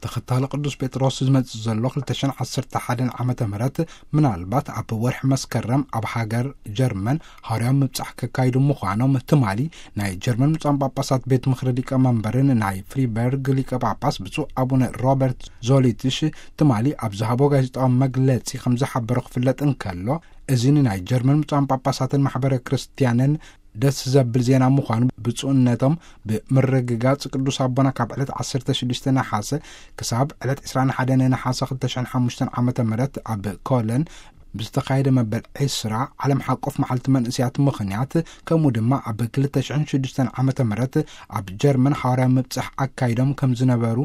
ተኸታሊ ቅዱስ ጴጥሮስ ዝመጽእ ዘሎ ክልተ ሽሕን ዓሰርተ ሓደን ዓመተ ምህረት ምናልባት ኣብ ወርሒ መስከረም ኣብ ሃገር ጀርመን ሃዋርያዊ ምብጻሕ ከካይዱ ምዃኖም ትማሊ ናይ ጀርመን ብፁዓን ጳጳሳት ቤት ምኽሪ ሊቀ መንበርን ናይ ፍሪበርግ ሊቀ ጳጳስ ብፁዕ ኣቡነ ሮበርት ዞሊትሽ ትማሊ ኣብ ዝሃቦ ጋዜጣዊ መግለጺ ከም ዝሓበሮ ክፍለጥ እንከሎ፣ እዚ ንናይ ጀርመን ብፁዓን ጳጳሳትን ማሕበረ ክርስትያንን ደስ ዘብል ዜና ምዃኑ ብፁዕነቶም ብምርግጋጽ፣ ቅዱስ ኣቦና ካብ ዕለት ዓሰርተ ሽዱሽተ ነሓሰ ክሳብ ዕለት ዕስራን ሓደን ነሓሰ ክልተ ሽሕን ሓሙሽተን ዓመተ ምህረት ኣብ ኮለን ብዝተኻየደ መበል ዕስራ ዓለም ሓቆፍ መዓልቲ መንእስያት ምኽንያት፣ ከምኡ ድማ ኣብ ክልተ ሽሕን ሽዱሽተን ዓመተ ምህረት ኣብ ጀርመን ሓዋርያዊ ምብጻሕ ኣካይዶም ከም ዝነበሩ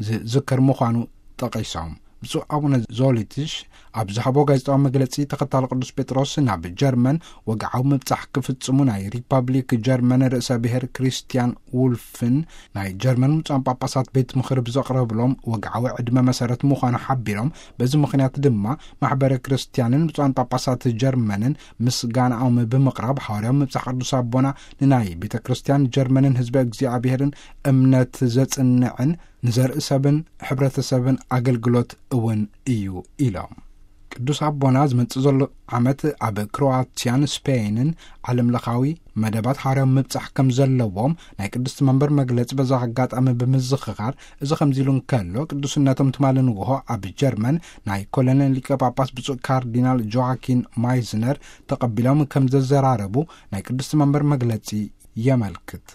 ዝዝከር ምዃኑ ጠቒሶም። ብፁዕ ኣቡነ ዞሊትሽ ኣብ ዝሃቦ ጋዜጣዊ መግለጺ፣ ተኸታሊ ቅዱስ ጴጥሮስ ናብ ጀርመን ወግዓዊ ምብጻሕ ክፍጽሙ ናይ ሪፐብሊክ ጀርመን ርእሰ ብሔር ክሪስትያን ውልፍን ናይ ጀርመን ብፁዓን ጳጳሳት ቤት ምኽሪ ብዘቕረብሎም ወግዓዊ ዕድመ መሰረት ምዃኑ ሓቢሮም፣ በዚ ምኽንያት ድማ ማሕበረ ክርስትያንን ብፁዓን ጳጳሳት ጀርመንን ምስጋናኦም ብምቕራብ፣ ሃዋርያዊ ምብጻሕ ቅዱስ ኣቦና ንናይ ቤተ ክርስትያን ጀርመንን ህዝበ እግዚኣብሔርን እምነት ዘጽንዕን ንዘርኢ ሰብን ሕብረተሰብን ኣገልግሎት እውን እዩ ኢሎም። ቅዱስ ኣቦና ዝመጽእ ዘሎ ዓመት ኣብ ክሮኣትያን ስፔይንን ዓለምለኻዊ መደባት ሃዋርያዊ ምብጻሕ ከም ዘለዎም ናይ ቅድስቲ መንበር መግለጺ በዛ ኣጋጣሚ ብምዝኽኻር፣ እዚ ከምዚ ኢሉ እንከሎ፣ ቅዱስነቶም ትማሊ ንግሆ ኣብ ጀርመን ናይ ኮሎን ሊቀ ጳጳስ ብፁዕ ካርዲናል ጆዋኪን ማይዝነር ተቐቢሎም ከም ዘዘራረቡ ናይ ቅድስቲ መንበር መግለጺ የመልክት።